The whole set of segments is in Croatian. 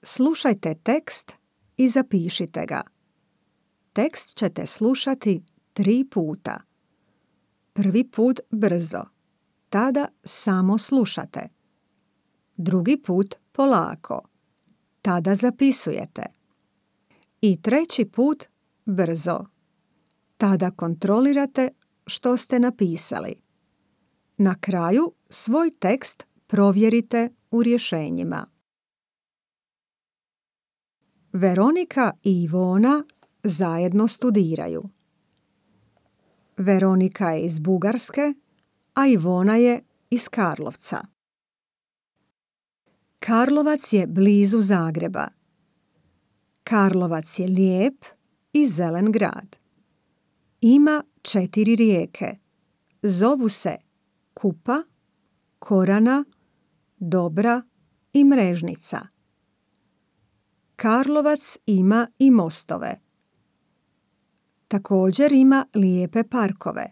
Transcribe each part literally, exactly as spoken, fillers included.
Slušajte tekst i zapišite ga. Tekst ćete slušati tri puta. Prvi put brzo, tada samo slušate. Drugi put polako, tada zapisujete. I treći put brzo, tada kontrolirate što ste napisali. Na kraju svoj tekst provjerite u rješenjima. Veronika i Ivona zajedno studiraju. Veronika je iz Bugarske, a Ivona je iz Karlovca. Karlovac je blizu Zagreba. Karlovac je lijep i zelen grad. Ima četiri rijeke. Zovu se Kupa, Korana, Dobra i Mrežnica. Karlovac ima i mostove. Također ima lijepe parkove.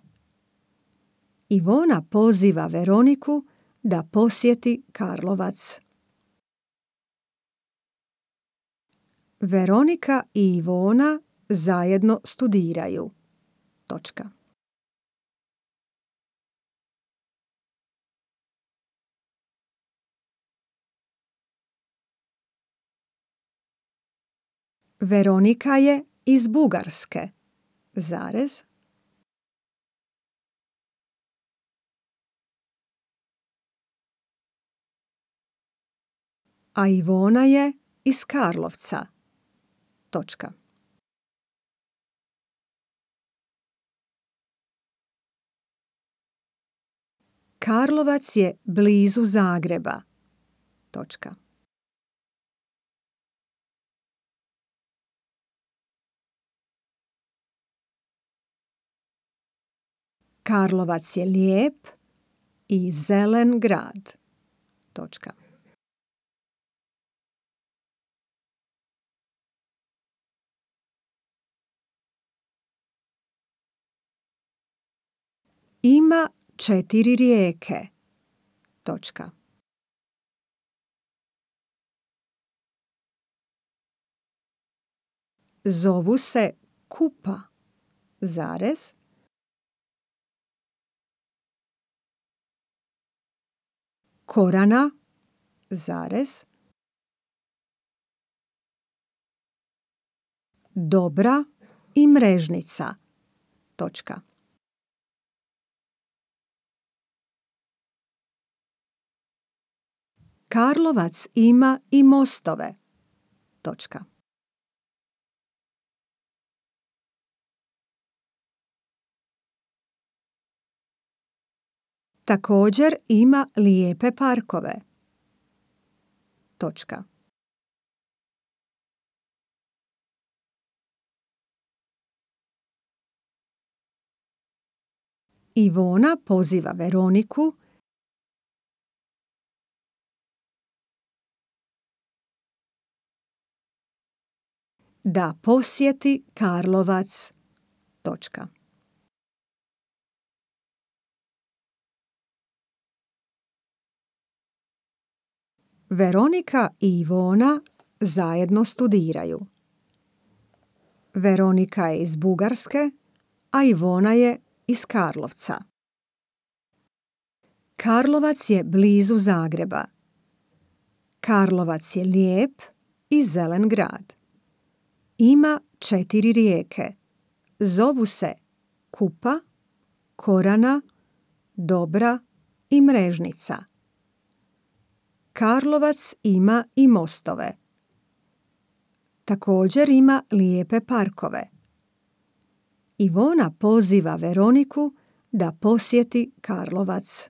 Ivona poziva Veroniku da posjeti Karlovac. Veronika i Ivona zajedno studiraju. Točka. Veronika je iz Bugarske. Zarez. A Ivona je iz Karlovca. Točka. Karlovac je blizu Zagreba. Točka. Karlovac je lijep i zelen grad. Točka. Ima četiri rijeke. Točka. Zovu se Kupa. Zarez. Korana. Zarez. Dobra i Mrežnica. Točka. Karlovac ima i mostove. Točka. Također ima lijepe parkove. Točka. Ivona poziva Veroniku da posjeti Karlovac. Točka. Veronika i Ivona zajedno studiraju. Veronika je iz Bugarske, a Ivona je iz Karlovca. Karlovac je blizu Zagreba. Karlovac je lijep i zelen grad. Ima četiri rijeke. Zovu se Kupa, Korana, Dobra i Mrežnica. Karlovac ima i mostove. Također ima lijepe parkove. Ivona poziva Veroniku da posjeti Karlovac.